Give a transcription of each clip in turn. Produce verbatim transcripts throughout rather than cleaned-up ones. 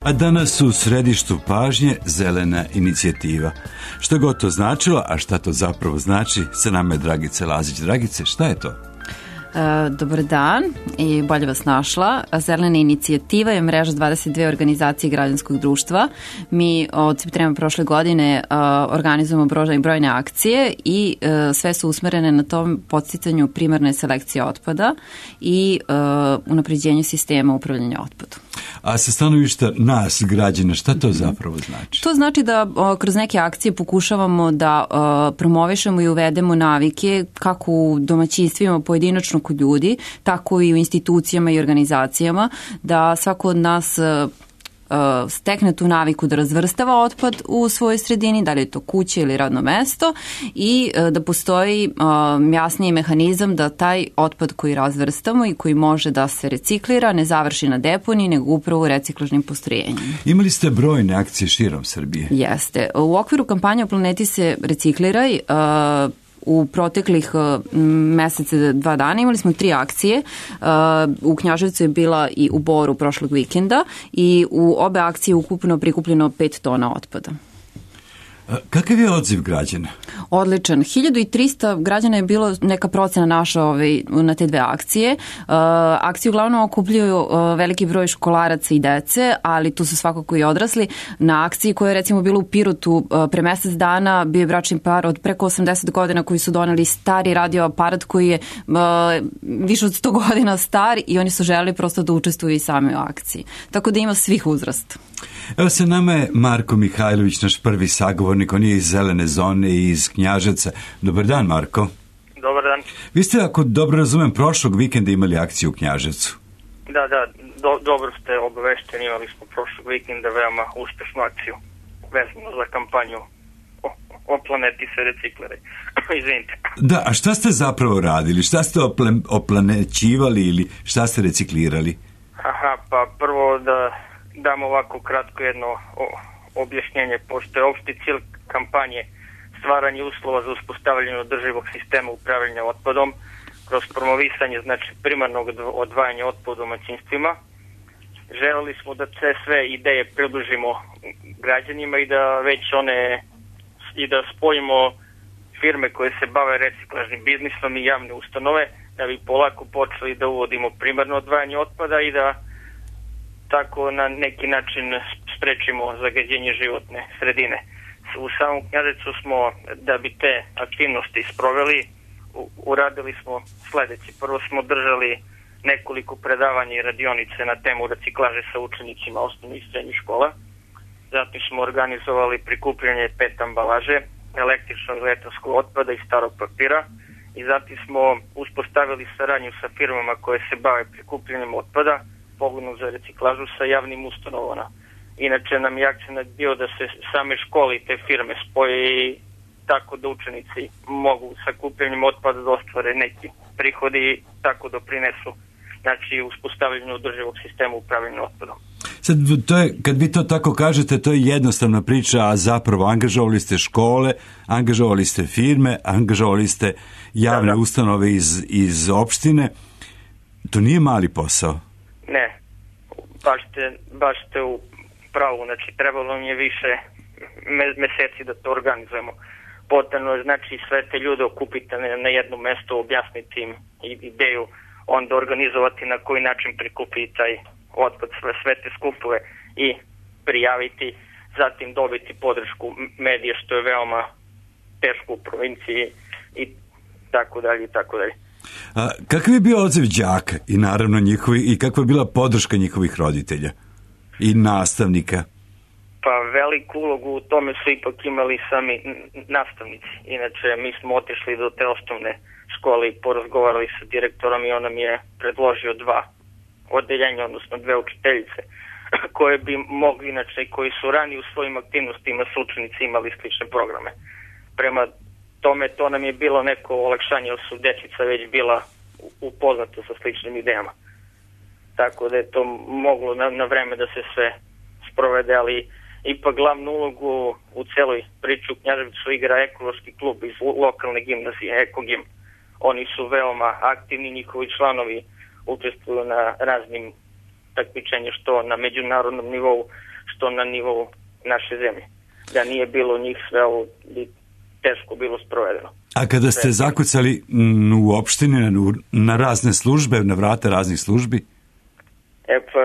A danas u središtu pažnje zelena inicijativa. Što god to značilo, a šta to zapravo znači, sa nama je Dragica Lazić. Dragice, šta je to? Dobar dan i bolje vas našla. Zelena inicijativa je mreža dvadeset dve organizacije građanskog društva. Mi od septembra prošle godine uh, organizujemo brojne, brojne akcije i uh, sve su usmerene na tom podsticanju primarne selekcije otpada i uh, unapređenju sistema upravljanja otpadom. A sa stanovišta nas, građana, šta to zapravo znači? To znači da uh, kroz neke akcije pokušavamo da uh, promovišemo i uvedemo navike kako u domaćinstvima pojedinačno kod ljudi, tako i u institucijama i organizacijama, da svako od nas uh, stekne tu naviku da razvrstava otpad u svojoj sredini, da li je to kuća ili radno mesto, i uh, da postoji uh, jasniji mehanizam da taj otpad koji razvrstamo i koji može da se reciklira ne završi na deponiji, nego upravo u reciklažnim postrojenjima. Imali ste brojne akcije širom Srbije? Jeste. U okviru kampanje O planeti se recikliraj uh, u proteklih uh, mesece, dva dana imali smo tri akcije. Uh, u Knjaževcu je bila i u Boru prošlog vikenda i u obe akcije ukupno prikupljeno pet tona otpada. Kakav je odziv građana? Odličan. hiljadu trista građana je bilo neka procena naša ovaj, na te dve akcije. Uh, akcije uglavnom okupljuju uh, veliki broj školaraca i dece, ali tu su svakako i odrasli. Na akciji koja je recimo bila u Pirotu uh, pre mesec dana bio je bračni par od preko osamdeset godina koji su doneli stari radio aparat koji je uh, više od sto godina star i oni su želeli prosto da učestvuju i sami u akciji. Tako da ima svih uzrasta. Evo sa nama je Marko Mihajlović, naš prvi sagovornik, on je iz Zelene zone i iz Knjaževca. Dobar dan, Marko. Dobar dan. Vi ste, ako dobro razumem, prošlog vikenda imali akciju u Knjaževcu. Da, da, do, dobro ste obavešteni, imali smo prošlog vikenda veoma uspešnu akciju vezano za kampanju o, o planeti se recikliraj. Izvinite. Da, a šta ste zapravo radili? Šta ste opla, oplanećivali ili šta ste reciklirali? Aha, pa prvo da dam ovako kratko jedno o, objašnjenje, pošto je opšti cilj kampanje stvaranje uslova za uspostavljanje održivog sistema upravljanja otpadom kroz promovisanje znači primarnog odvajanja otpada u domaćinstvima. Želeli smo da sve, sve ideje približimo građanima i da već one i da spojimo firme koje se bave reciklažnim biznisom i javne ustanove, da bi polako počeli da uvodimo primarno odvajanje otpada i da tako na neki način sprečimo zagađenje životne sredine. U samom Knjaževcu smo, da bi te aktivnosti sproveli, uradili smo sledeće. Prvo smo držali nekoliko predavanja i radionice na temu reciklaže sa učenicima osnovnih i srednjih škola. Zatim smo organizovali prikupljanje pet ambalaže, električnog i elektronskog otpada i starog papira. I zatim smo uspostavili saradnju sa firmama koje se bave prikupljanjem otpada, pogonu za reciklažu sa javnim ustanovama. Inače nam je akcenat bio da se same škole i te firme spoje i tako da učenici mogu sa kupljanjem otpada da ostvare neki prihodi i tako doprinesu znači uspostavljanju održivog sistema upravljanja otpadom. Sad, to je, kad vi to tako kažete, to je jednostavna priča, a zapravo angažovali ste škole, angažovali ste firme, angažovali ste javne da, da. ustanove iz, iz opštine. To nije mali posao. Ne, baš ste, baš ste u pravu, znači trebalo mi je više meseci da to organizujemo. Potrebno je znači sve te ljude okupiti na, na jedno mesto, objasniti im ideju, onda organizovati na koji način prikupiti taj otpad, sve, sve te skupove i prijaviti, zatim dobiti podršku medija, što je veoma teško u provinciji i tako dalje i tako dalje. A kakav je bio odziv đaka i naravno njihovi, i kakva je bila podrška njihovih roditelja i nastavnika? Pa veliku ulogu u tome su ipak imali sami nastavnici. Inače, mi smo otišli do te osnovne škole i porazgovarali sa direktorom i on nam je predložio dva odeljenja, odnosno dve učiteljice, koje bi mogli, inače, koji su rani u svojim aktivnostima s učenici imali slične programe. Prema tome, to nam je bilo neko olakšanje, jer su dečica već bila upoznata sa sličnim idejama. Tako da je to moglo na, na vreme da se sve sprovede, ali ipak glavnu ulogu u celoj priči u Knjaževcu igra ekološki klub iz lokalne gimnazije, Ekogim. Oni su veoma aktivni, njihovi članovi učestvuju na raznim takmičenjima, što na međunarodnom nivou, što na nivou naše zemlje. Da nije bilo njih, sve ovo bi teško bilo sprovedeno. A kada ste zakucali u opštini na, na razne službe, na vrata raznih službi? E pa,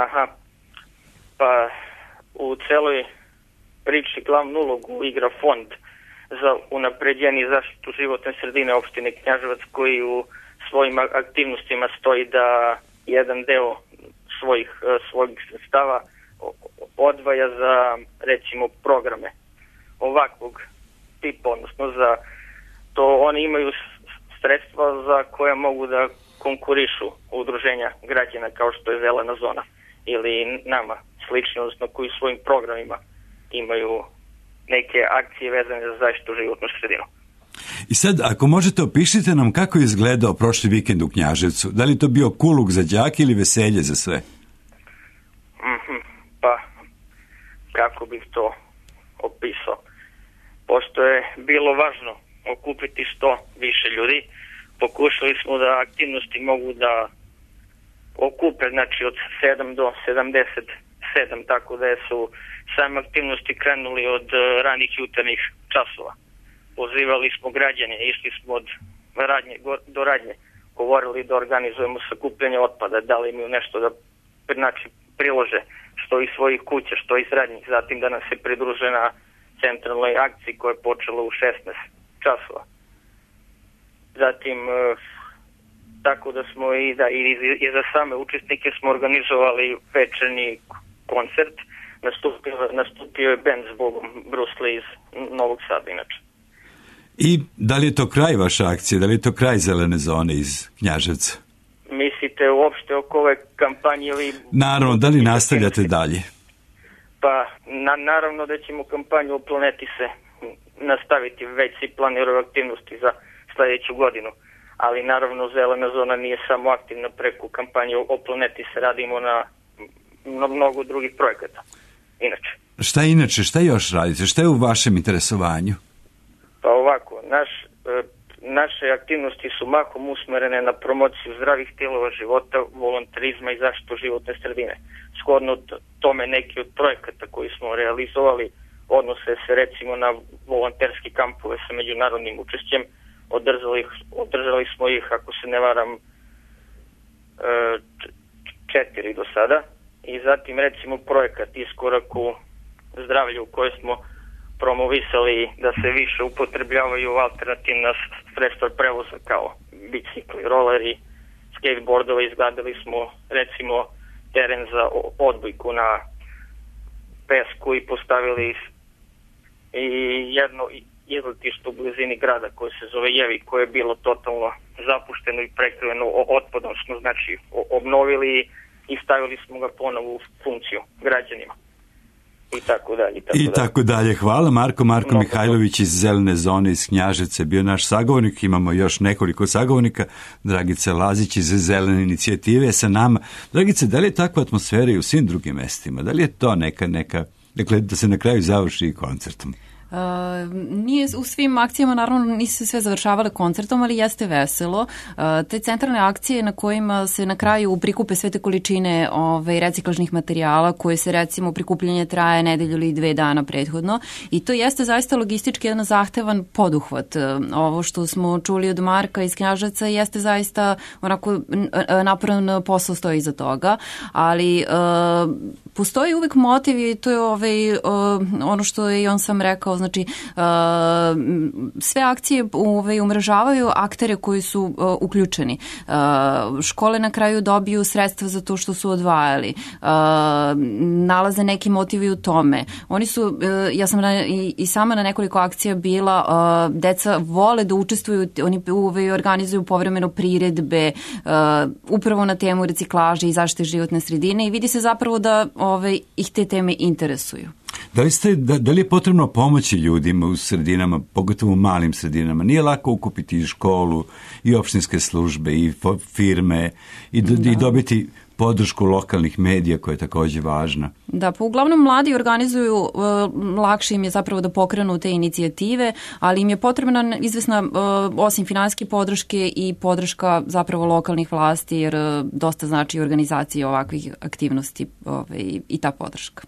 aha, pa u celoj priči glavnu ulogu igra fond za unapređenje i zaštitu životne sredine opštine Knjaževac, koji u svojim aktivnostima stoji da jedan deo svojih, svojih sredstava odvaja za, recimo, programe ovakvog tipa, odnosno za to oni imaju sredstva za koja mogu da konkurišu udruženja građana kao što je Zelena zona ili nama slično, odnosno koji u svojim programima imaju neke akcije vezane za zaštitu životnu sredinu. I sad, ako možete, opišite nam kako je izgledao prošli vikend u Knjaževcu. Da li to bio kuluk za đake ili veselje za sve? Mm-hmm, pa, kako bih to opisao? Pošto je bilo važno okupiti što više ljudi, pokušali smo da aktivnosti mogu da okupe, znači od sedam do sedamdeset sedam, tako da su same aktivnosti krenuli od ranih jutarnjih časova. Pozivali smo građane, išli smo od radnje do radnje, govorili da organizujemo sakupljanje otpada, da li imaju nešto da znači, prilože, što iz svojih kuća, što iz radnjih, zatim da nam se pridruže na centralnoj akciji koja je počela u šesnaest časova. Zatim, tako da smo i, da, i, i za same učesnike smo organizovali večernji koncert, nastupio, nastupio je band zbogom Bruce Lee iz Novog Sada, inače. I da li je to kraj vaše akcije, da li je to kraj Zelene zone iz Knjaževca? Mislite uopšte oko ove kampanje ili... Naravno, da li nastavljate dalje? Pa, na, naravno da ćemo kampanju o planeti se nastaviti, već si planiraju aktivnosti za sljedeću godinu, ali naravno Zelena zona nije samo aktivna preko kampanje o planeti, se radimo na, na mnogo drugih projekata. Inače. Šta inače, šta još radite, šta je u vašem interesovanju? Pa ovako, naš, naše aktivnosti su mahom usmerene na promociju zdravih stilova života, volontarizma i zaštitu životne sredine. Shodno tome neki od projekata koji smo realizovali odnose se recimo na volonterski kampove sa međunarodnim učešćem. Održali, održali smo ih, ako se ne varam, četiri do sada. I zatim recimo projekat Iskorak u zdravlju u kojoj smo promovisali da se više upotrebljavaju alternativna sredstva prevoza kao bicikli, roleri, skateboardove. Izgradili smo recimo teren za odbojku na pesku i postavili i jedno izletište u blizini grada koje se zove Jevi, koje je bilo totalno zapušteno i prekriveno otpadom, smo znači obnovili i stavili smo ga ponovo u funkciju građanima. I tako dalje. I tako, I tako dalje. dalje. Hvala. Marko Marko Mnogo Mihajlović iz Zelene zone iz Knjaževca bio naš sagovornik. Imamo još nekoliko sagovornika. Dragica Lazić iz Zelene inicijative sa nama. Dragice, da li je takva atmosfera i u svim drugim mestima? Da li je to neka, neka, dakle, da se na kraju završi i koncertom? Uh, nije u svim akcijama, naravno nisu se sve završavale koncertom, ali jeste veselo. Uh, te centralne akcije na kojima se na kraju prikupe sve te količine ove, reciklažnih materijala koje se recimo prikupljanje traje nedelju ili dve dana prethodno i to jeste zaista logistički jedan zahtevan poduhvat. Uh, ovo što smo čuli od Marka iz Knjaževca jeste zaista onako naporan posao stoji iza toga, ali uh, postoji uvek motiv i to je ovaj, uh, ono što je i on sam rekao. Znači, uh, sve akcije ovaj, umrežavaju aktere koji su uh, uključeni. Uh, škole na kraju dobiju sredstva za to što su odvajali. Uh, nalaze neki motivi u tome. Oni su, uh, ja sam na, i, i sama na nekoliko akcija bila, uh, deca vole da učestvuju, oni ovaj, organizuju povremeno priredbe, uh, upravo na temu reciklaže i zaštite životne sredine i vidi se zapravo da ovaj, ih te teme interesuju. Da li, ste, da, da li je potrebno pomoći ljudima u sredinama, pogotovo u malim sredinama? Nije lako ukupiti i školu, i opštinske službe, i firme, i, do, i dobiti podršku lokalnih medija koja je također važna. Da, pa uglavnom mladi organizuju, uh, lakše im je zapravo da pokrenu te inicijative, ali im je potrebna izvesna, uh, osim finansijske podrške i podrška zapravo lokalnih vlasti, jer uh, dosta znači organizacije ovakvih aktivnosti ovaj, i ta podrška.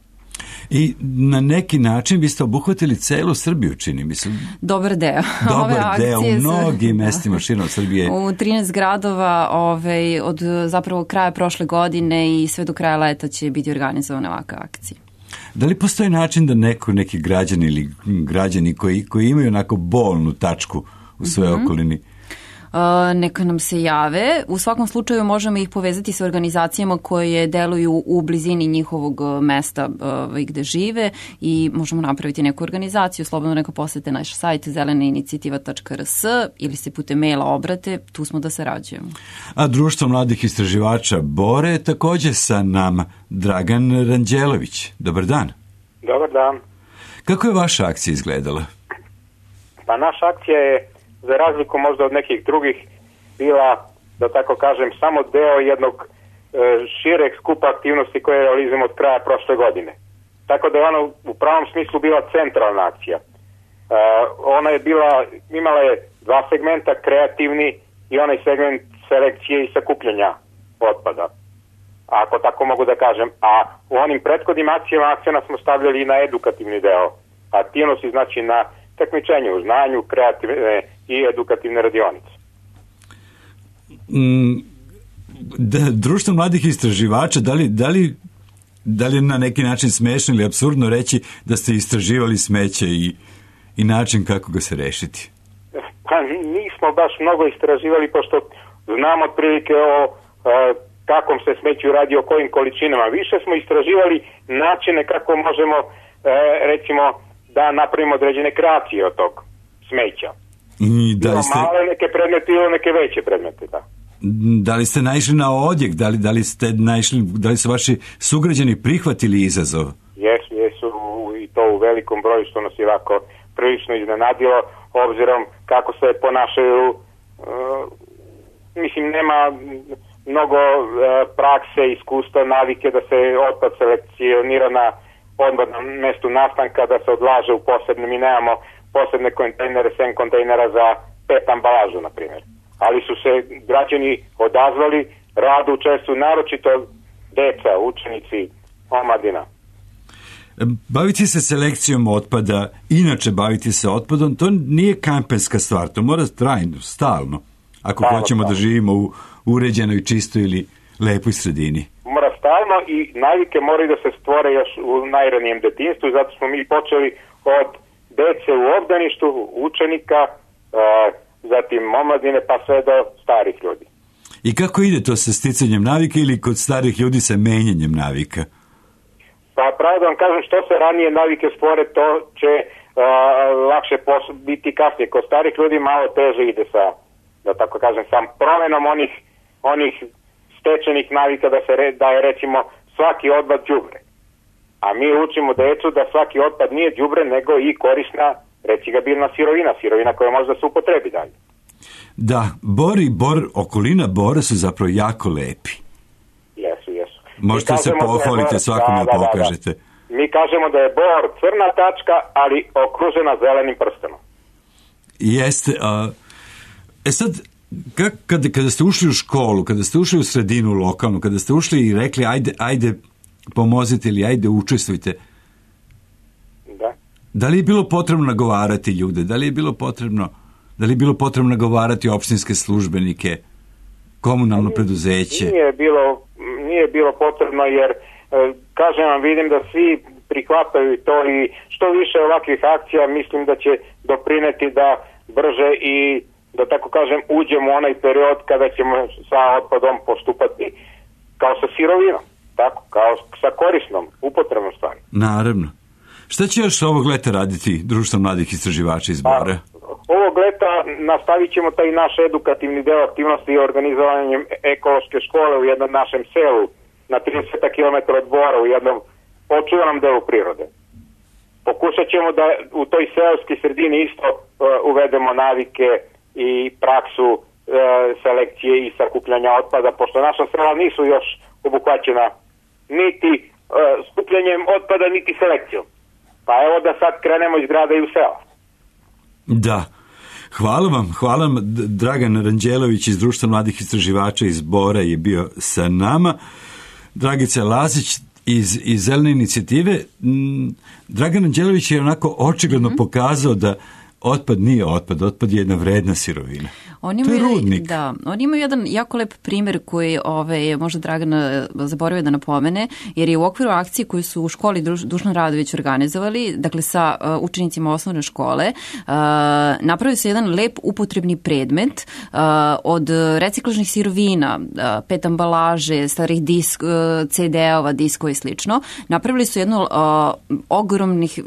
I na neki način vi ste obuhvatili celu Srbiju, čini mi se. Dobar deo. Dobar deo u mnogim mestima širom Srbije. U trinaest gradova ovaj, od zapravo kraja prošle godine i sve do kraja leta će biti organizovane ovakve akcije. Da li postoji način da neko, neki građani ili građani koji, koji imaju onako bolnu tačku u svojoj mm-hmm. okolini, Uh, neka nam se jave. U svakom slučaju možemo ih povezati sa organizacijama koje deluju u blizini njihovog mesta uh, gde žive i možemo napraviti neku organizaciju. Slobodno neka posete naš sajt zelena inicijativa tačka r s ili se putem maila obrate, tu smo da sarađujemo. A Društvo mladih istraživača Bore je također sa nama Dragan Ranđelović. Dobar dan. Dobar dan. Kako je vaša akcija izgledala? Pa naša akcija je, za razliku možda od nekih drugih, bila, da tako kažem, samo deo jednog e, šireg skupa aktivnosti koje realizujemo od kraja prošle godine. Tako da je ona u pravom smislu bila centralna akcija. E, ona je bila, imala je dva segmenta, kreativni i onaj segment selekcije i sakupljanja otpada, ako tako mogu da kažem. A u onim prethodnim akcijama akcena smo stavljali i na edukativni deo aktivnosti, znači na takmičenje u znanju, kreativne i edukativne radionice. Mm, da, Društvo mladih istraživača, da li, da li, da li je na neki način smešno ili apsurdno reći da ste istraživali smeće i, i način kako ga se rešiti? Pa nismo baš mnogo istraživali, pošto znamo otprilike o a, kakvom se smeću radi, o kojim količinama. Više smo istraživali načine kako možemo, a, recimo, da napravimo određene kreacije od tog smeća. I da li ste... male neke predmete ili neke veće predmete, da. Da li ste naišli na odjek? Da li, da li ste naišli, da li su vaši sugrađani prihvatili izazov? Jesu, jesu i to u velikom broju, što nas je ovako prilično iznenadilo, obzirom kako se ponašaju, uh, mislim, nema mnogo uh, prakse, iskustva, navike da se otpad selekcionira na odmah na mestu nastanka, da se odlaže u posebne, mi nemamo posebne kontejnere, sem kontejnera za pet ambalažu, na primjer. Ali su se građani odazvali, rado učestvuju, naročito deca, učenici, omladina. Baviti se selekcijom otpada, inače baviti se otpadom, to nije kampenska stvar, to mora trajno, stalno, ako stalno, hoćemo stalno da živimo u uređenoj, čistoj ili lepoj sredini. Mora stalno i navike moraju da se stvore još u najranijem detinjstvu, zato smo mi počeli od dece u obdaništu, učenika, e, zatim omladine, pa sve do starih ljudi. I kako ide to sa sticanjem navike ili kod starih ljudi sa menjanjem navika? Pa pravo da vam kažem, što se ranije navike stvore, to će e, lakše pos- biti kasnije. Kod starih ljudi malo teže ide sa, da tako kažem, sam promenom onih, onih stečenih navika da se re, da je recimo svaki otpad đubre. A mi učimo decu da svaki otpad nije đubre, nego i korisna, reciklabilna sirovina, sirovina koja može da se upotrebi dalje. Da, Bor i Bor, okolina Bora su zapravo jako lepi. Jesu, jesu. Možete se pohvaliti, svakome da, da, pokažete. Da, da. Mi kažemo da je Bor crna tačka, ali okružena zelenim prstenom. Jeste. A, e sad, kak, kada, kada ste ušli u školu, kada ste ušli u sredinu lokalnu, kada ste ušli i rekli ajde, ajde pomozite ili ajde učestvujte, da. Da li je bilo potrebno nagovarati ljude? Da li je bilo potrebno, da li je bilo potrebno nagovarati opštinske službenike, komunalno nije, preduzeće? Nije bilo, nije bilo potrebno, jer kažem vam, vidim da svi prihvataju to i što više ovakvih akcija mislim da će doprineti da brže i, da tako kažem, uđemo u onaj period kada ćemo sa otpadom postupati kao sa sirovinom. Tako, kao sa korisnom, upotrebnom stvari. Naravno. Šta će još ovog leta raditi Društvo mladih istraživača iz Bora? Ovog leta nastavit ćemo taj naš edukativni deo aktivnosti i organizovanjem ekološke škole u jednom našem selu na trideset kilometara od Bora, u jednom očuvanom delu prirode. Pokušat ćemo da u toj seoskoj sredini isto uh, uvedemo navike i praksu uh, selekcije i sakupljanja otpada, pošto naša sela nisu još obuhvaćena niti uh, skupljanjem otpada, niti selekcijom. Pa evo da sad krenemo iz grada i u sela. Da. Hvala vam, hvala vam. Dragan Ranđelović iz Društva mladih istraživača iz Bora je bio sa nama. Dragica Lazić, iz, iz zelene inicijative, m, Dragan Anđelović je onako očigledno mm-hmm. pokazao da otpad nije otpad, otpad je jedna vredna sirovina. On ima, to je rudnik. Da, oni imaju jedan jako lep primjer koji ove, možda Dragan zaboravio da napomene, jer je u okviru akcije koju su u školi Dušan Radović organizovali, dakle sa uh, učenicima osnovne škole, uh, napravili su jedan lep upotrebni predmet uh, od reciklažnih sirovina, uh, pet ambalaže, starih disk, uh, ce de-ova, diskova i slično. Napravili su jednu uh, ogromnih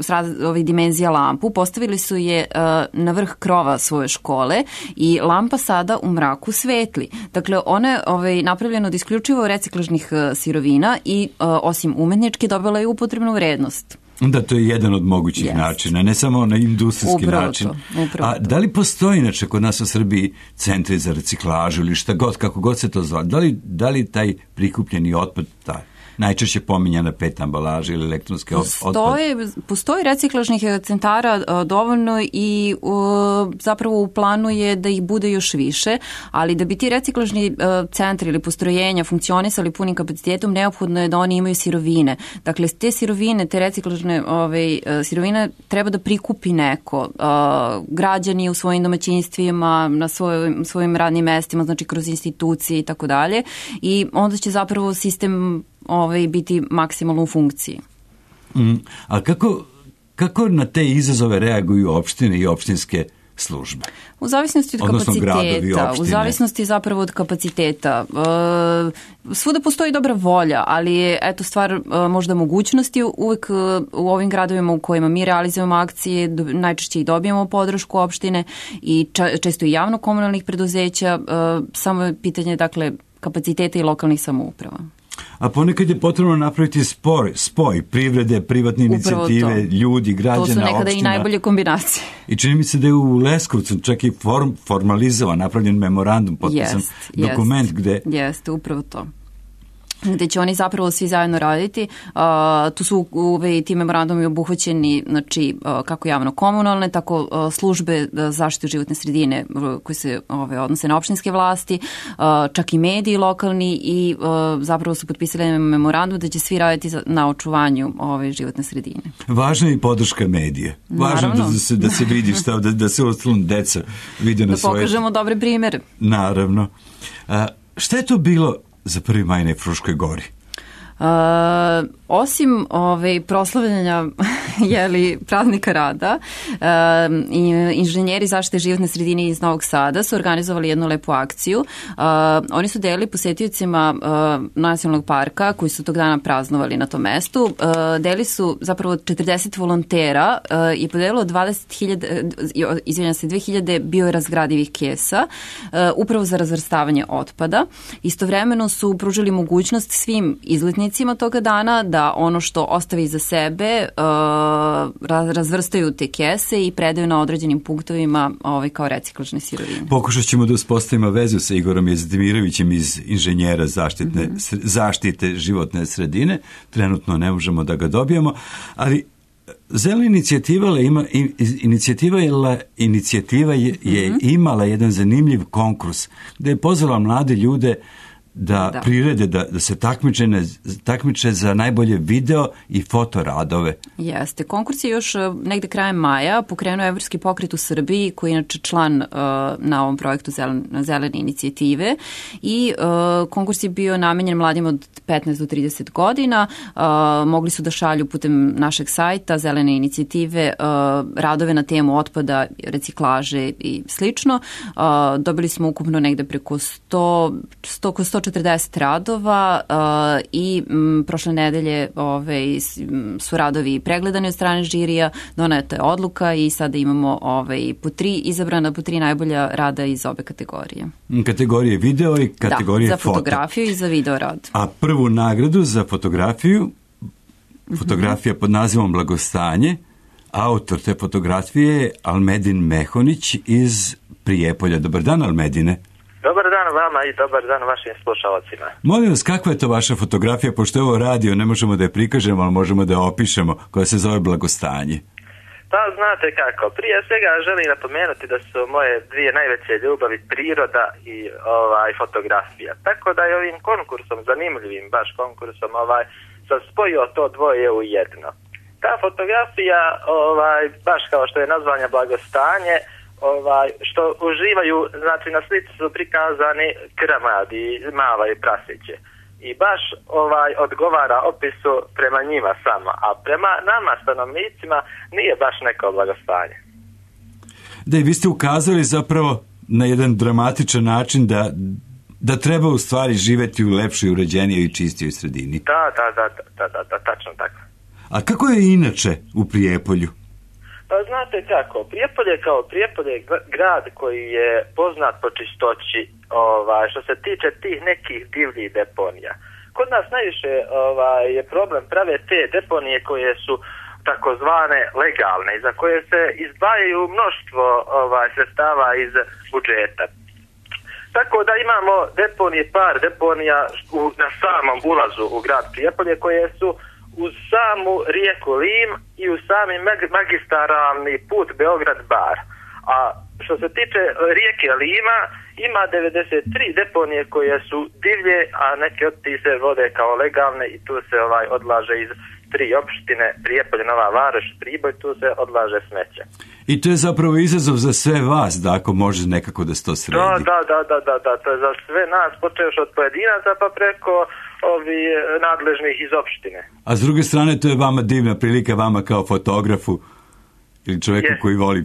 ovih dimenzija lampu, postavili su je uh, na vrh krova svoje škole i lampa pa sada u mraku svetli. Dakle, ona je ovaj, napravljena od isključivo reciklažnih uh, sirovina i uh, osim umetničke dobila je upotrebnu vrednost. Da, to je jedan od mogućih yes. načina, ne samo na industrijski upravo način. To, upravo A da li postoji inače kod nas u Srbiji centri za reciklažu ili šta god, kako god se to zove? Da li, da li taj prikupljeni otpad, taj najčešće pominjana pet ambalaže ili elektronske postoji, otpad? Postoji reciklažnih centara a, dovoljno i a, zapravo u planu je da ih bude još više, ali da bi ti reciklažni a, centri ili postrojenja funkcionisali punim kapacitetom, neophodno je da oni imaju sirovine. Dakle, te sirovine, te reciklažne ove, a, sirovine treba da prikupi neko. A, građani u svojim domaćinstvima, na svojim, svojim radnim mestima, znači kroz institucije i tako dalje. I onda će zapravo sistem ovaj, biti maksimalno u funkciji. Mm, a kako, kako na te izazove reaguju opštine i opštinske službe? U zavisnosti od odnosno kapaciteta, u zavisnosti zapravo od kapaciteta. E, svuda postoji dobra volja, ali je eto stvar e, možda mogućnosti. Uvek e, u ovim gradovima u kojima mi realizujemo akcije, do, najčešće i dobijemo podršku opštine i ča, često i javno-komunalnih preduzeća. E, samo je pitanje, dakle, kapaciteta i lokalnih samouprava. A ponekad je potrebno napraviti spoj, spoj privrede, privatne inicijative, ljudi, građana, opština. To su nekada opština. I najbolje kombinacije. I čini mi se da je u Leskovcu čak i form, formalizovan, napravljen memorandum, potpisan jest, dokument jest, gde... Jeste, upravo to. Gde će oni zapravo svi zajedno raditi. Uh, tu su ove, ti memorandumi obuhvaćeni, znači, uh, kako javno-komunalne, tako uh, službe zaštite životne sredine uh, koje se ove, odnose na opštinske vlasti, uh, čak i mediji lokalni i uh, zapravo su potpisali memorandum da će svi raditi za, na očuvanju ove životne sredine. Važna je i podrška medija. Važno da, da se, da se vidi šta, da, da se ostalom deca vide na da svoje... Da pokažemo dobre primere. Naravno. Uh, šta je to bilo za prvi maj na Fruškoj gori? Uh, osim ove proslavljanja jeli, praznika rada, uh, inženjeri zaštite životne sredine iz Novog Sada su organizovali jednu lepu akciju. Uh, oni su delili posetiocima uh, nacionalnog parka koji su tog dana praznovali na tom mestu. Uh, delili su zapravo četrdeset volontera uh, i podelilo dvadeset hiljada, uh, izvinjam se, dve hiljade biorazgradivih kesa uh, upravo za razvrstavanje otpada. Istovremeno su pružili mogućnost svim izletnicima toga dana da ono što ostavi iza sebe uh, razvrstaju te kese i predaju na određenim punktovima ovaj, kao reciklažne sirovine. Pokušat ćemo da uspostavimo vezu sa Igorom Jezdimirovićem iz inženjera zaštitne, mm-hmm. zaštite životne sredine. Trenutno ne možemo da ga dobijemo, ali zelena inicijativa, ima, inicijativa, je, inicijativa je, je mm-hmm. imala jedan zanimljiv konkurs gde je pozvala mlade ljude da, da. prirede, da, da se takmiče, takmiče za najbolje video i fotoradove. Jeste. Konkurs je još negde krajem maja pokrenuo Evropski pokret u Srbiji, koji je inače član uh, na ovom projektu Zelen, zelene inicijative i uh, konkurs je bio namenjen mladima od petnaest do trideset godina. Uh, mogli su da šalju putem našeg sajta Zelene inicijative uh, radove na temu otpada, reciklaže i slično. Uh, dobili smo ukupno negde preko sto, sto, sto četrdeset radova uh, i m, prošle nedelje ove, su radovi pregledani od strane žirija, doneta je odluka i sada imamo ove, po tri izabrana, po tri najbolja rada iz obe kategorije. Kategorije video i kategorije da, za foto. fotografiju i za video rad. A prvu nagradu za fotografiju, fotografija mm-hmm. pod nazivom Blagostanje, autor te fotografije je Almedin Mehonić iz Prijepolja. Dobar dan, Almedine. Dobar dan vama i dobar dan vašim slušalcima. Molim vas, kakva je to vaša fotografija, pošto je ovo radio, ne možemo da je prikažemo, ali možemo da je opišemo, koja se zove Blagostanje? Pa znate kako, prije svega želim napomenuti da su moje dvije najveće ljubavi priroda i ovaj fotografija. Tako da je ovim konkursom, zanimljivim baš konkursom, ovaj sam spojio to dvoje u jedno. Ta fotografija, ovaj, baš kao što je nazvanja blagostanje, ovaj, što uživaju, znači na slici su prikazani krmadi, mava i prasiće. I baš ovaj odgovara opisu prema njima samo, a prema nama stanovnicima nije baš neko blagostanje. Da, i vi ste ukazali zapravo na jedan dramatičan način da, da treba u stvari živeti u lepšoj, uređenijoj i čistijoj sredini. Da, da, da, da, da, da, tačno tako. A kako je inače u Prijepolju? Pa znate kako, Prijepolje kao Prijepolje je grad koji je poznat po čistoći, ovaj, što se tiče tih nekih divljih deponija. Kod nas najviše ovaj, je problem prave te deponije koje su takozvane legalne i za koje se izdvajaju mnoštvo ovaj, sredstava iz budžeta. Tako da imamo deponije, par deponija u, na samom ulazu u grad Prijepolje koje su uz samu rijeku Lim i uz sami magistralni put Beograd-Bar. A što se tiče rijeke Lima, ima devedeset tri deponije koje su divlje, a neke od tih se vode kao legalne i tu se ovaj odlaže iz tri opštine, Prijepolje, Nova Varoš, Priboj, tu se odlaže smeće. I to je zapravo izazov za sve vas, da ako može nekako da se to sredi. Da, da, da, da, da, da, to je za sve nas, počeš od pojedinaca pa preko ovi nadležnih iz opštine. A s druge strane, to je vama divna prilika, vama kao fotografu ili čovjeku Jest. koji voli.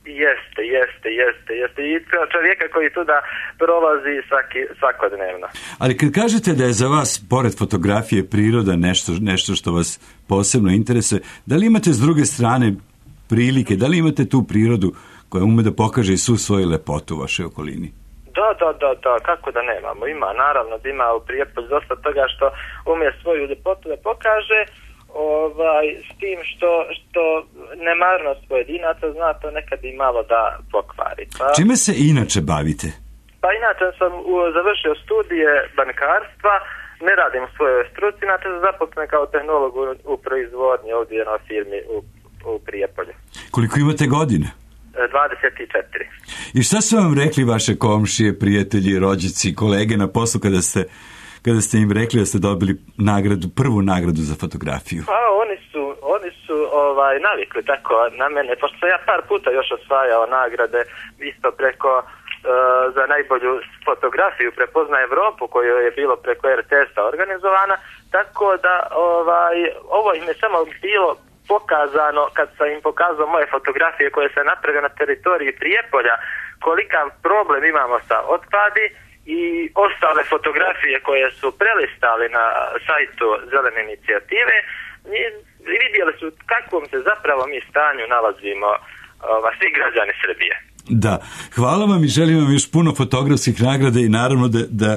Jeste, jeste, jeste, jeste. I čovjeka koji tu da prolazi svaki, svakodnevno. Ali kad kažete da je za vas, pored fotografije, priroda nešto, nešto što vas posebno interesuje, da li imate s druge strane prilike, da li imate tu prirodu koja ume da pokaže i svu svoju lepotu u vašoj okolini? Da, da, da, da, kako da nemamo. Ima, naravno da ima u Prijepolju dosta toga što umije svoju ljepotu da pokaže, ovaj, s tim što, što nemarnost pojedinaca zna to nekad i malo da pokvari. Pa, čime se inače bavite? Pa inače sam u, završio studije bankarstva, ne radim u svojoj struci, inače sam zaposlen kao tehnolog u, u proizvodnji ovdje na firmi u, u Prijepolju. Koliko imate godine? dvadeset četiri. I šta su vam rekli vaše komšije, prijatelji, rođaci, kolege na poslu kada ste, kada ste im rekli da ste dobili nagradu, prvu nagradu za fotografiju? Pa oni su, oni su ovaj, navikli tako na mene, pošto sam ja par puta još osvajao nagrade, isto preko uh, za najbolju fotografiju Prepozna Evropu, koju je bilo preko er te es-a organizovana, tako da ovaj, ovo im je samo bilo pokazano, kad sam im pokazao moje fotografije koje se naprave na teritoriji Prijepolja, kolikav problem imamo sa otpadi i ostale fotografije koje su prelistali na sajtu Zelene inicijative i vidjeli su kakvom se zapravo mi stanju nalazimo ova, svi građani Srbije. Da, hvala vam i želim vam još puno fotografskih nagrada i naravno da, da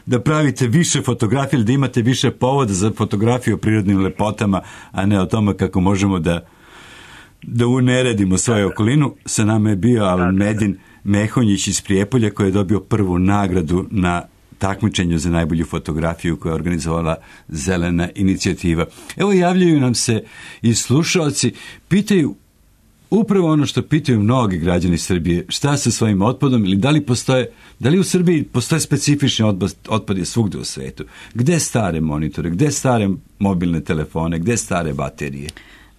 da pravite više fotografije ili da imate više povoda za fotografiju o prirodnim lepotama, a ne o tome kako možemo da da uneredimo svoju okolinu. Sa nama je bio Almedin Mehonjić iz Prijepolja koji je dobio prvu nagradu na takmičenju za najbolju fotografiju koju je organizovala Zelena inicijativa. Evo javljaju nam se i slušalci, pitaju upravo ono što pitaju mnogi građani Srbije, šta sa svojim otpadom ili da li postoje, da li u Srbiji postoje specifični otpad, otpad je svugde u svetu. Gde stare monitore, gde stare mobilne telefone, gde stare baterije?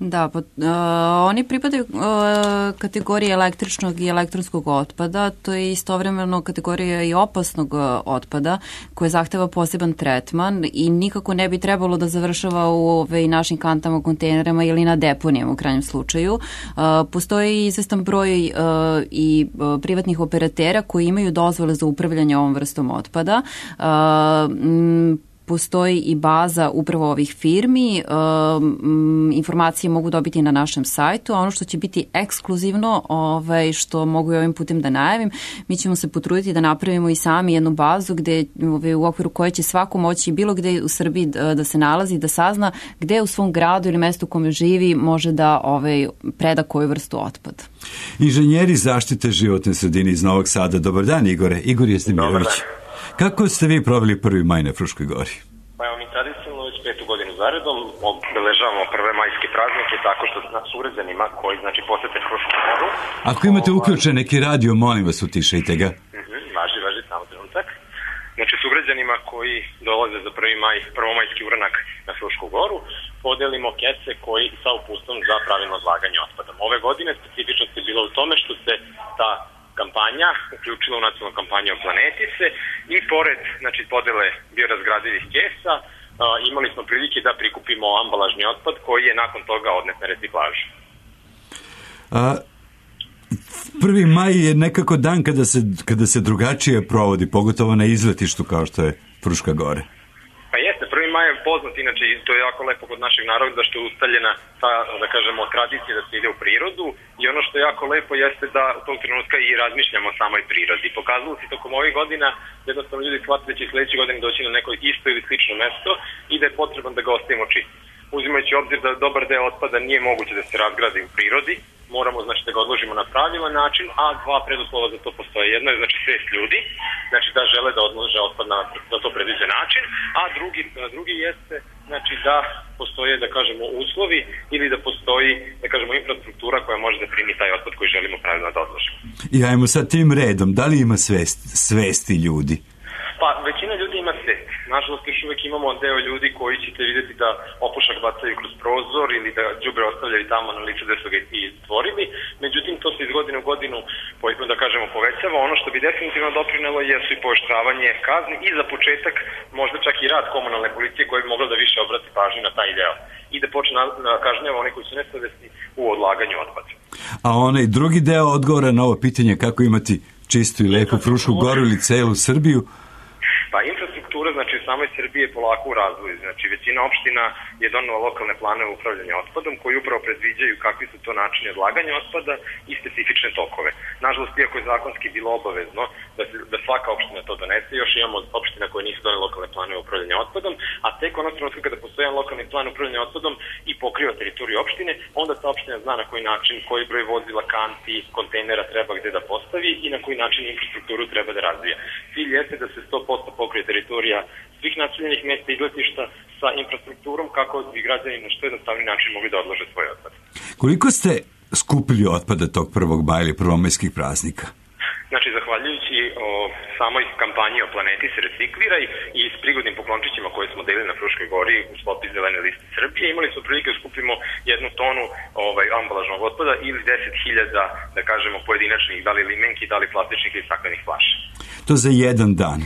Da, pa, uh, oni pripadaju uh, kategoriji električnog i elektronskog otpada, to je istovremeno kategorija i opasnog uh, otpada koje zahteva poseban tretman i nikako ne bi trebalo da završava u ove, našim kantama, kontejnerama ili na deponijama u krajnjem slučaju. Uh, postoji izvestan broj uh, i uh, privatnih operatera koji imaju dozvole za upravljanje ovom vrstom otpada. Uh, m, Postoji i baza upravo ovih firmi, um, informacije mogu dobiti na našem sajtu, a ono što će biti ekskluzivno, ovaj, što mogu i ovim putem da najavim, mi ćemo se potruditi da napravimo i sami jednu bazu gde, ovaj, u okviru koje će svako moći bilo gde u Srbiji da, da se nalazi, da sazna gde u svom gradu ili mestu u kome živi može da ovaj, preda koju vrstu otpada. Inženjeri zaštite životne sredine iz Novog Sada. Dobar dan, Igore. Igor Jestemirović. Kako ste vi proveli prvi maj na Fruškoj gori? Pa evo mi tradicionalno već petu godinu zaredom obeležavamo prve majske praznike tako što nas uređenima koji znači posete Frušku goru. Ako imate uključen neki radio, molim vas utišajte ga. Mhm, važi, važi, samo trenutak. znači sugrađanima koji dolaze za prvi maj, prvomajski uranak na Frušku goru, podelimo kese koji sa uputstvom za pravilno odlaganje otpadom. Ove godine specifičnost je bila u tome što se ta kampanja uključila u nacionalnu kampanju o planeti se i pored znači, podele biorazgradivih kesa a, imali smo prilike da prikupimo ambalažni otpad koji je nakon toga odnet na reciklažu. A, prvi maj je nekako dan kada se, kada se drugačije provodi, pogotovo na izletištu kao što je Fruška Gore. Pa jeste, prvi maj je poznat, inače i to je jako lepo kod našeg naroda što je ustaljena ta, da kažemo, tradicija da se ide u prirodu i ono što je jako lepo jeste da u tom trenutka i razmišljamo o samoj prirodi. Pokazalo se tokom ovih godina jednostavno ljudi shvatili da će sledeće godine doći na neko isto ili slično mesto i da je potreban da ga ostavimo čist. Uzimajući obzir da dobar deo otpada nije moguće da se razgradi u prirodi, moramo znači da ga odložimo na pravilan način, a dva preduslova za to postoje. Jedno je znači svest ljudi, znači da žele da odlože otpad na, na to predviđen način, a drugi, drugi jeste znači da postoje da kažemo uslovi ili da postoji da kažemo infrastruktura koja može da primi taj otpad koji želimo pravilno da odložimo. I ajmo sad tim redom, da li ima svest, svesti ljudi? Pa većina ljudi ima svest. Nažalost, još uvek imamo deo ljudi koji ćete vidjeti da opušak bacaju kroz prozor ili da đubre ostavljaju tamo na licu gde su ga i stvorili. Međutim, to se iz godine u godinu, da kažemo, povećava. Ono što bi definitivno doprinelo jesu i pooštravanje kazni i za početak možda čak i rad komunalne policije koja bi mogla da više obrati pažnju na taj deo i da počne na kažnjava one koji su nesavesni u odlaganju otpada. A onaj drugi deo odgovora na ovo pitanje kako imati čistu i lepu Frušku Goru ili celu Srbiju? Pa infrastruktura, znači u samoj Srbiji je polako u razvoju. Znači većina opština je donela lokalne planove upravljanja otpadom koji upravo predviđaju kakvi su to načini odlaganja otpada i specifične tokove. Nažalost, iako je zakonski bilo obavezno da, se, da svaka opština to donese, još imamo opština koje nisu donele lokalne planove upravljanja otpadom, a tek onog trenutka kada postoji jedan lokalni plan upravljanja otpadom i pokriva teritoriju opštine, onda ta opština zna na koji način, koji broj vozila, kanti, kontejnera treba gde da postavi i na koji način infrastrukturu treba da razvija. Cilj jeste da se sto posto pokrije teritorija svih naseljenih mesta i izletišta sa infrastrukturom kako bi građani na što jednostavni način mogli da odlože svoj otpad. Koliko ste skupili otpada tog prvog maja ili prvomajskih praznika? Znači, zahvaljujući o samoj kampanji o planeti se recikliraj i s prigodnim poklončićima koje smo delili na Fruškoj gori u sklopu zelene liste Srbije, imali smo prilike da skupimo jednu tonu ovaj, ambalažnog otpada ili deset hiljada, da kažemo, pojedinačnih, da li limenki, da li plastičnih ili staklenih flaša. To za jedan dan?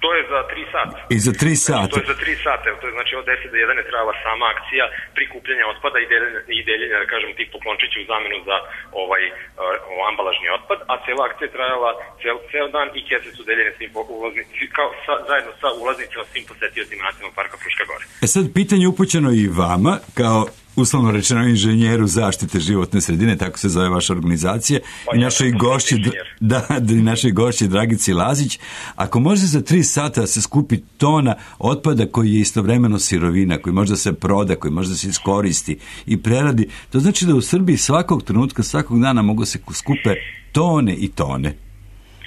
To je za tri sata. I za tri sata? To je za tri sata. To je znači od deset do jedan je trajala sama akcija prikupljanja otpada i deljenja, i deljenja da kažem, tih poklončića u zamenu za ovaj uh, ambalažni otpad, a cela akcija je trajala cel, cel dan i kese su deljene svim ulaznicima, kao sa, zajedno sa ulaznicima svim posetiocima Nacionalnog parka Fruška Gora. E sad, pitanje upućeno i vama, kao uslovno rečeno inženjeru zaštite životne sredine, tako se zove vaša organizacija, pa i našoj gošći, da, da, i našoj gošći Dragici Lazić. Ako može za tri sata se skupi tona otpada koji je istovremeno sirovina, koji može da se proda, koji može da se iskoristi i preradi, to znači da u Srbiji svakog trenutka, svakog dana mogu se skupe tone i tone.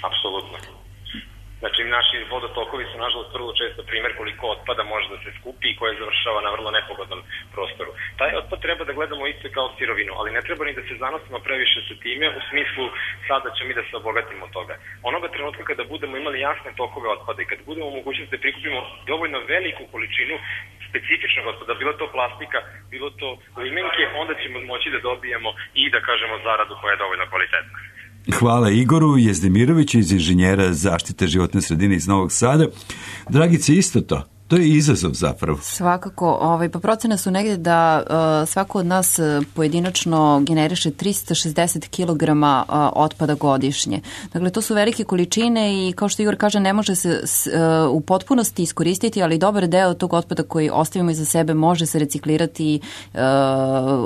Apsolutno. Znači, naši vodotokovi su, nažalost, vrlo često primjer koliko otpada može da se skupi i koje završava na vrlo nepogodnom prostoru. Taj otpad treba da gledamo isto kao sirovinu, ali ne treba ni da se zanosimo previše sa time, u smislu sada ćemo mi da se obogatimo od toga. Onoga trenutka kada budemo imali jasne tokove otpada i kada budemo u mogućnosti da prikupimo dovoljno veliku količinu specifičnog otpada, bilo to plastika, bilo to limenke, onda ćemo moći da dobijemo i da kažemo zaradu koja je dovoljno kvalitetna. Hvala Igoru Jezdemiroviću iz inženjera zaštite životne sredine iz Novog Sada. Dragice, isto to. To je izazov zapravo. Svakako, ovaj, pa procene su negdje da uh, svako od nas pojedinačno generiše trista šezdeset kilograma uh, otpada godišnje. Dakle, to su velike količine i kao što Igor kaže, ne može se s, uh, u potpunosti iskoristiti, ali dobar deo tog otpada koji ostavimo iza sebe može se reciklirati. Uh,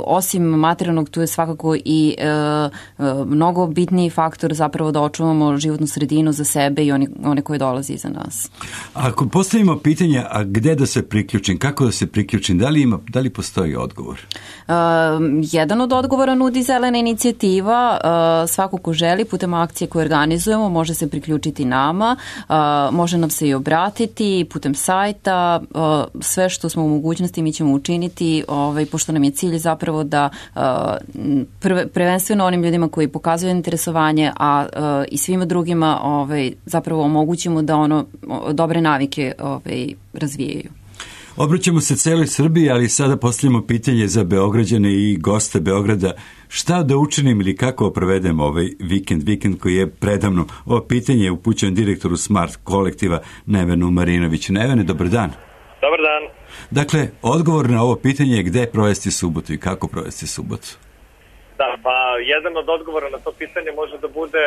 osim materijalnog, tu je svakako i uh, uh, mnogo bitniji faktor zapravo da očuvamo životnu sredinu za sebe i one, one koje dolaze iza nas. Ako postavimo pitanje, a gde da se priključim, kako da se priključim, da li ima, da li postoji odgovor? Uh, jedan od odgovora nudi Zelena inicijativa. Uh, svako ko želi putem akcije koje organizujemo može se priključiti nama, uh, može nam se i obratiti putem sajta. Uh, sve što smo u mogućnosti mi ćemo učiniti, ovaj, pošto nam je cilj zapravo da uh, prve, prvenstveno onim ljudima koji pokazuju interesovanje, a uh, i svima drugima ovaj, zapravo omogućimo da ono dobre navike ovaj, razvijaju. Obraćamo se celoj Srbiji, ali sada postavljamo pitanje za Beograđane i goste Beograda. Šta da učinim ili kako provedem ovaj vikend, vikend koji je predavno? Ovo pitanje je upućeno direktoru Smart kolektiva Nevenu Marinoviću. Nevene, dobar dan. Dobar dan. Dakle, odgovor na ovo pitanje je gde provesti subotu i kako provesti subotu? Da, pa jedan od odgovora na to pitanje može da bude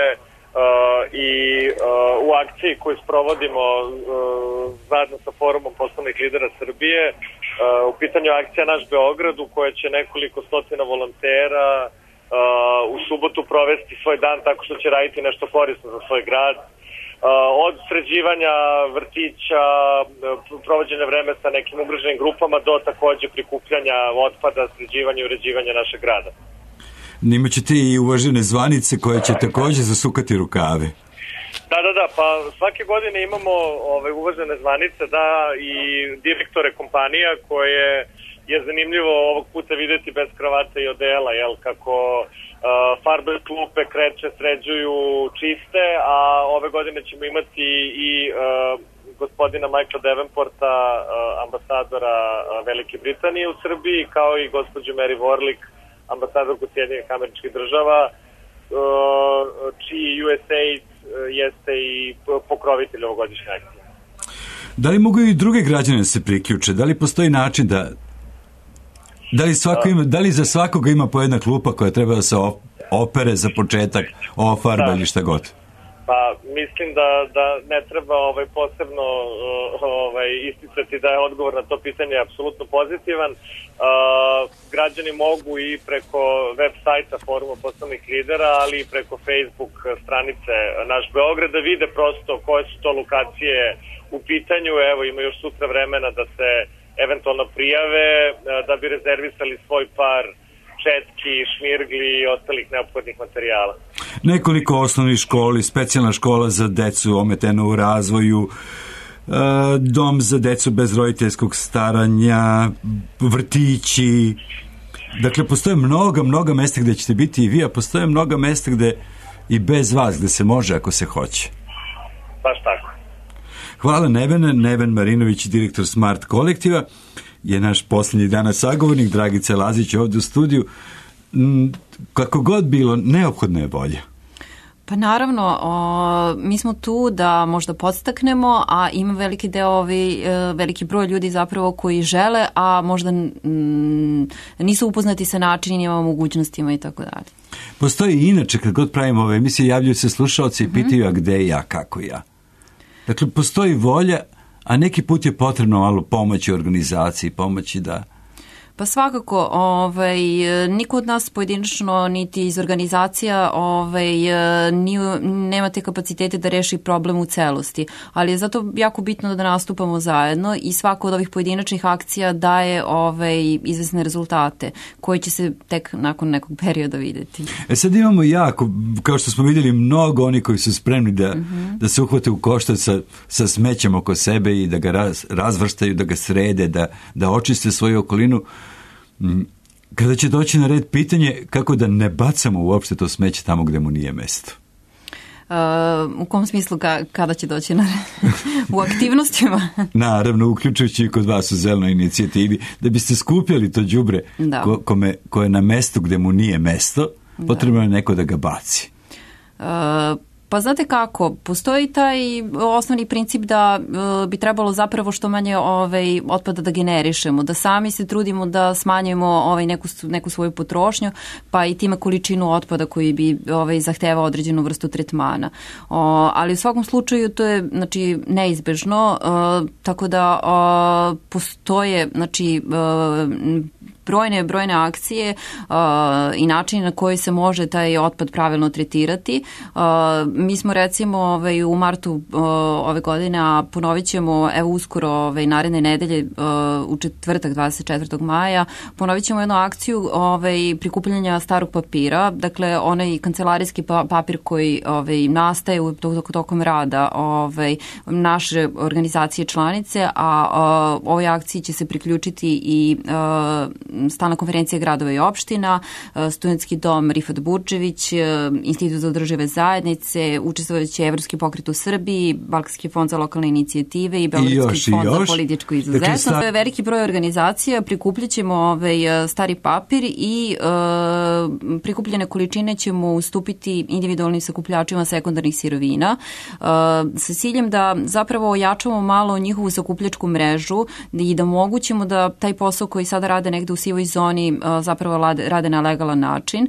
Uh, i uh, u akciji koju sprovodimo uh, zajedno sa Forumom poslovnih lidera Srbije. Uh, u pitanju akcija Naš Beograd, u kojoj će nekoliko stotina volontera uh, u subotu provesti svoj dan tako što će raditi nešto korisno za svoj grad. Uh, od sređivanja vrtića, provođenja vreme sa nekim ugroženim grupama do takođe prikupljanja otpada, sređivanja i uređivanja našeg grada. Imaćete i uvažene zvanice koje će takođe zasukati rukave. Da, da, da, pa svake godine imamo ove uvažene zvanice, da, i direktore kompanija koje je zanimljivo ovog puta videti bez kravata i odela, jel, kako uh, farbe klupe, kreće, sređuju, čiste, a ove godine ćemo imati i uh, gospodina Michaela Davenporta, uh, ambasadora uh, Velike Britanije u Srbiji, kao i gospođu Mary Warlick, ambasadorku Sjedinjenih Američkih Država, čiji U S A I D jeste i pokrovitelj ovogodišnje akcije. Da li mogu i druge građane se priključe? Da li postoji način da... Da li, svako ima, da li za svakoga ima po jedna klupa koja treba da se opere za početak, ofarba ili šta god? Pa mislim da, da ne treba ovaj, posebno ovaj, isticati da je odgovor na to pitanje apsolutno pozitivan. Uh, građani mogu i preko web sajta Foruma poslovnih lidera, ali i preko Facebook stranice Naš Beograd da vide prosto koje su to lokacije u pitanju. Evo, ima još sutra vremena da se eventualno prijave, da bi rezervisali svoj par četki, šmirgli i ostalih neophodnih materijala. Nekoliko osnovnih školi, specijalna škola za decu ometenu u razvoju, dom za decu bez roditeljskog staranja, vrtići. Dakle, postoje mnoga, mnoga mesta gde ćete biti i vi, a postoje mnoga mesta gde i bez vas, gde se može ako se hoće. Baš tako. Hvala Nevene. Neven Marinović, direktor Smart kolektiva, je naš posljednji danas sagovornik. Dragica Lazić ovdje u studiju. Kako god bilo, neophodna je volja. Pa naravno, o, mi smo tu da možda podstaknemo, a ima veliki deo, ovi, veliki broj ljudi zapravo koji žele, a možda m, nisu upoznati sa načinima, mogućnostima i tako dalje. Postoji i inače, kad god pravimo ove emisije, javljaju se slušalci i pitaju, a gde ja, kako ja. Dakle, postoji volja, a neki put je potrebno malo pomoći organizaciji, pomoći da... Pa svakako, ovaj, niko od nas pojedinačno niti iz organizacija ovaj, nije, nema te kapacitete da reši problem u celosti, ali je zato jako bitno da nastupamo zajedno i svako od ovih pojedinačnih akcija daje ovaj, izvesne rezultate koji će se tek nakon nekog perioda videti. E sad imamo jako, kao što smo vidjeli, mnogo oni koji su spremni da, mm-hmm. da se uhvate u koštac sa, sa smećem oko sebe i da ga raz, razvrstaju, da ga srede, da, da očiste svoju okolinu. Kada će doći na red pitanje kako da ne bacamo uopšte to smeće tamo gde mu nije mesto? Uh, u kom smislu ka, kada će doći na red? U aktivnostima? Naravno, uključujući i kod vas u zelenoj inicijativi, da biste skupljali to đubre ko, kome, koje je na mestu gde mu nije mesto, potrebno je neko da ga baci. Uh, Pa znate kako, postoji taj osnovni princip da e, bi trebalo zapravo što manje ovaj, otpada da generišemo, da sami se trudimo da smanjimo ovaj, neku, neku svoju potrošnju, pa i time količinu otpada koji bi ovaj, zahtevao određenu vrstu tretmana. O, ali u svakom slučaju to je znači, neizbežno, e, tako da o, postoje znači, e, brojne, brojne akcije uh, i način na koji se može taj otpad pravilno tretirati. Uh, mi smo recimo ovaj, u martu uh, ove godine, a ponovit ćemo evo uskoro ovaj, naredne nedelje uh, u četvrtak dvadeset četvrtog maja, ponovit ćemo jednu akciju ovaj, prikupljanja starog papira, dakle onaj kancelarijski papir koji ovaj, nastaje u tokom rada ovaj, naše organizacije članice, a uh, ovoj akciji će se priključiti i uh, Stalna konferencija gradova i opština, Studentski dom Rifat Burđević, Institut za održive zajednice, učestvovajući Evropski pokret u Srbiji, Balkanski fond za lokalne inicijative i Beogradski fond za političku izuzetnost. Dakle, sta... Veliki broj organizacija, prikupljat ćemo ovaj, stari papir i uh, prikupljene količine ćemo ustupiti individualnim sakupljačima sekundarnih sirovina uh, sa ciljem da zapravo ojačamo malo njihovu sakupljačku mrežu i da omogućimo da taj posao koji sada rade negde u sivoj zoni zapravo rade na legalan način.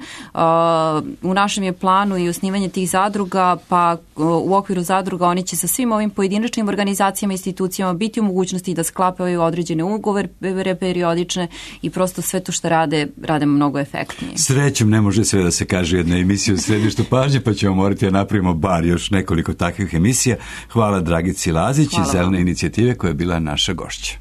U našem je planu i osnivanje tih zadruga, pa u okviru zadruga oni će sa svim ovim pojedinačnim organizacijama i institucijama biti u mogućnosti da sklapaju određene ugovore periodične i prosto sve to što rade, rade mnogo efektnije. Srećom ne može sve da se kaže jedna emisija u središtu pažnje, pa ćemo morati da napravimo bar još nekoliko takvih emisija. Hvala Dragici Lazić iz Zelene inicijative koja je bila naša gošća.